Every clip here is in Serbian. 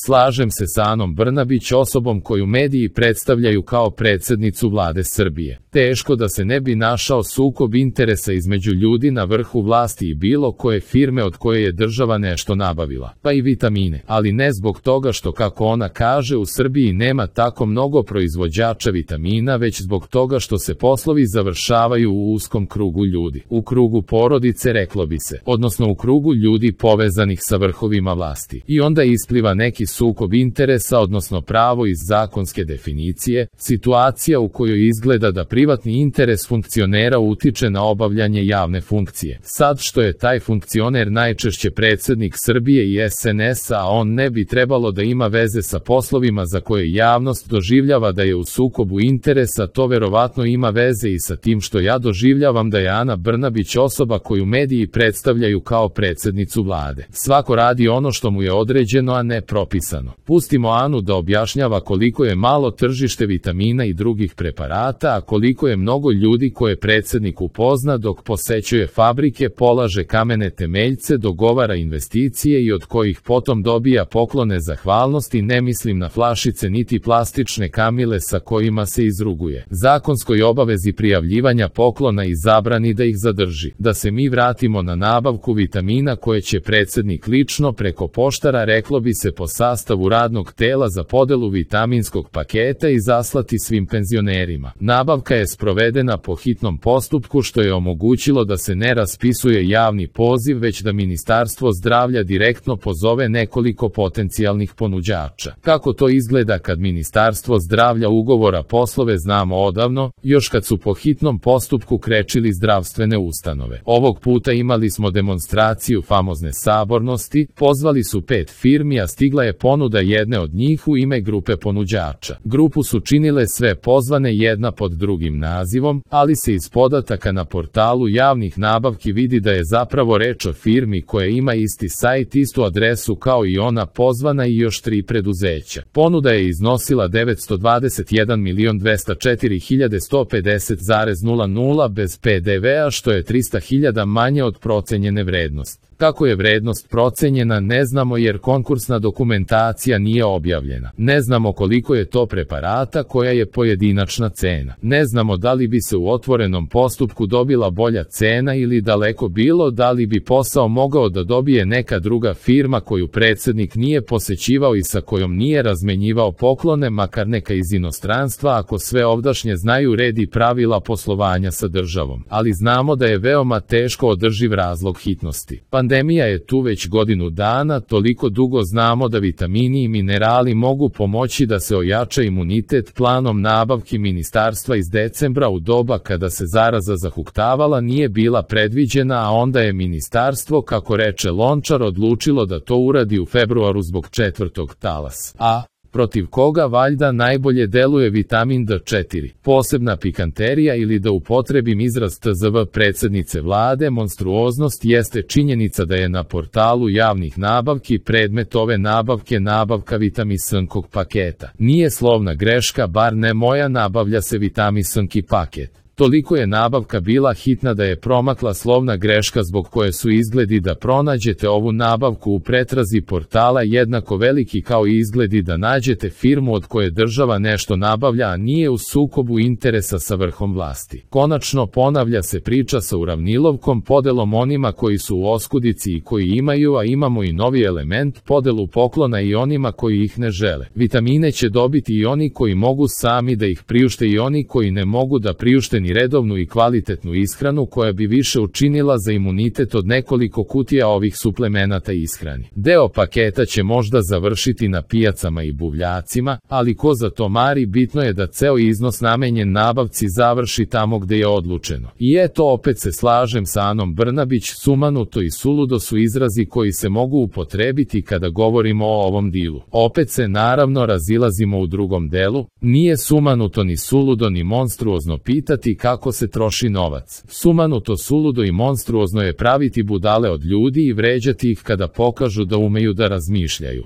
slažem se sa Anom Brnabić, osobom koju mediji predstavljaju kao predsjednicu vlade Srbije. Teško da se ne bi našao sukob interesa između ljudi na vrhu vlasti i bilo koje firme od koje je država nešto nabavila, pa i vitamine, ali ne zbog toga što, kako ona kaže, u Srbiji nema tako mnogo proizvođača vitamina, već zbog toga što se poslovi završavaju u uskom krugu ljudi, u krugu porodice, reklo bi se, odnosno u krugu ljudi povezanih sa vrhovima vlasti. I onda ispliva neki sukob interesa, odnosno pravo iz zakonske definicije, situacija u kojoj izgleda da privatni interes funkcionera utiče na obavljanje javne funkcije. Sad što je taj funkcioner najčešće predsjednik Srbije i SNS-a, a on ne bi trebalo da ima veze sa poslovima za koje javnost doživljava da je u sukobu interesa, to verovatno ima veze i sa tim što ja doživljavam da je Ana Brnabić osoba koju mediji predstavljaju kao predsjednicu vlade. Svako radi ono što mu je određeno, a ne propisano. Pustimo Anu da objašnjava koliko je malo tržište vitamina i drugih preparata, a koliko je mnogo ljudi koje predsjednik upozna dok posećuje fabrike, polaže kamene temeljce, dogovara investicije i od kojih potom dobija poklone zahvalnosti. Ne mislim na flašice niti plastične kamile sa kojima se izruguje. Zakonskoj obavezi prijavljivanja poklona i zabrani da ih zadrži. Da se mi vratimo na nabavku vitamina koje će predsjednik lično preko poštara, reklo bi se po sastavu radnog tela za podelu vitaminskog paketa i zaslati svim penzionerima. Nabavka je sprovedena po hitnom postupku, što je omogućilo da se ne raspisuje javni poziv, već da Ministarstvo zdravlja direktno pozove nekoliko potencijalnih ponuđača. Kako to izgleda kad Ministarstvo zdravlja ugovora poslove znamo odavno, još kad su po hitnom postupku krečili zdravstvene ustanove. Ovog puta imali smo demonstraciju famozne sabornosti, pozvali su 5 firmi, a stigla je ponuda jedne od njih u ime grupe ponuđača. Grupu su činile sve pozvane jedna pod drugim nazivom, ali se iz podataka na portalu javnih nabavki vidi da je zapravo reč o firmi koja ima isti sajt, istu adresu kao i ona pozvana i još 3 preduzeća. Ponuda je iznosila 921.204.150,00 bez PDV-a, što je 300.000 manje od procenjene vrednosti. Kako je vrednost procenjena ne znamo jer konkursna dokumentacija nije objavljena. Ne znamo koliko je to preparata, koja je pojedinačna cena. Ne znamo da li bi se u otvorenom postupku dobila bolja cena ili daleko bilo da li bi posao mogao da dobije neka druga firma koju predsjednik nije posećivao i sa kojom nije razmenjivao poklone, makar neka iz inostranstva, ako sve ovdašnje znaju red i pravila poslovanja sa državom. Ali znamo da je veoma teško održiv razlog hitnosti. Pandemija je tu već godinu dana, toliko dugo znamo da vitamini i minerali mogu pomoći da se ojača imunitet. Planom nabavki ministarstva iz decembra u doba kada se zaraza zahuktavala nije bila predviđena, a onda je ministarstvo, kako reče Lončar, odlučilo da to uradi u februaru zbog 4. talasa. A protiv koga valjda najbolje deluje vitamin D4. Posebna pikanterija, ili da upotrebim izraz tzv. Predsjednice vlade, monstruoznost jeste činjenica da je na portalu javnih nabavki predmet ove nabavke nabavka vitaminkog paketa. Nije slovna greška, bar ne moja, nabavlja se vitaminkski paket. Toliko je nabavka bila hitna da je promakla slovna greška zbog koje su izgledi da pronađete ovu nabavku u pretrazi portala jednako veliki kao i izgledi da nađete firmu od koje država nešto nabavlja, a nije u sukobu interesa sa vrhom vlasti. Konačno ponavlja se priča sa uravnilovkom, podelom onima koji su u oskudici i koji imaju, a imamo i novi element, podelu poklona i onima koji ih ne žele. Vitamine će dobiti i oni koji mogu sami da ih priušte i oni koji ne mogu da priušte ni redovnu i kvalitetnu ishranu koja bi više učinila za imunitet od nekoliko kutija ovih suplemenata ishrani. Deo paketa će možda završiti na pijacama i buvljacima, ali ko za to mari, bitno je da ceo iznos namenjen nabavci završi tamo gde je odlučeno. I eto, opet se slažem sa Anom Brnabić, sumanuto i suludo su izrazi koji se mogu upotrebiti kada govorimo o ovom dilu. Opet se naravno razilazimo u drugom delu, nije sumanuto ni suludo ni monstruozno pitati kako se troši novac. Sumanuto, suludo i monstruozno je praviti budale od ljudi i vređati ih kada pokažu da umeju da razmišljaju.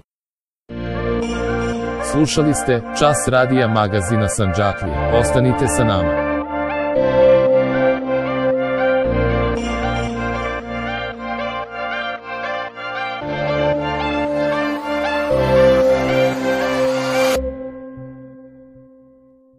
Slušali ste Čas radija magazina Sandžaklija. Ostanite sa nama.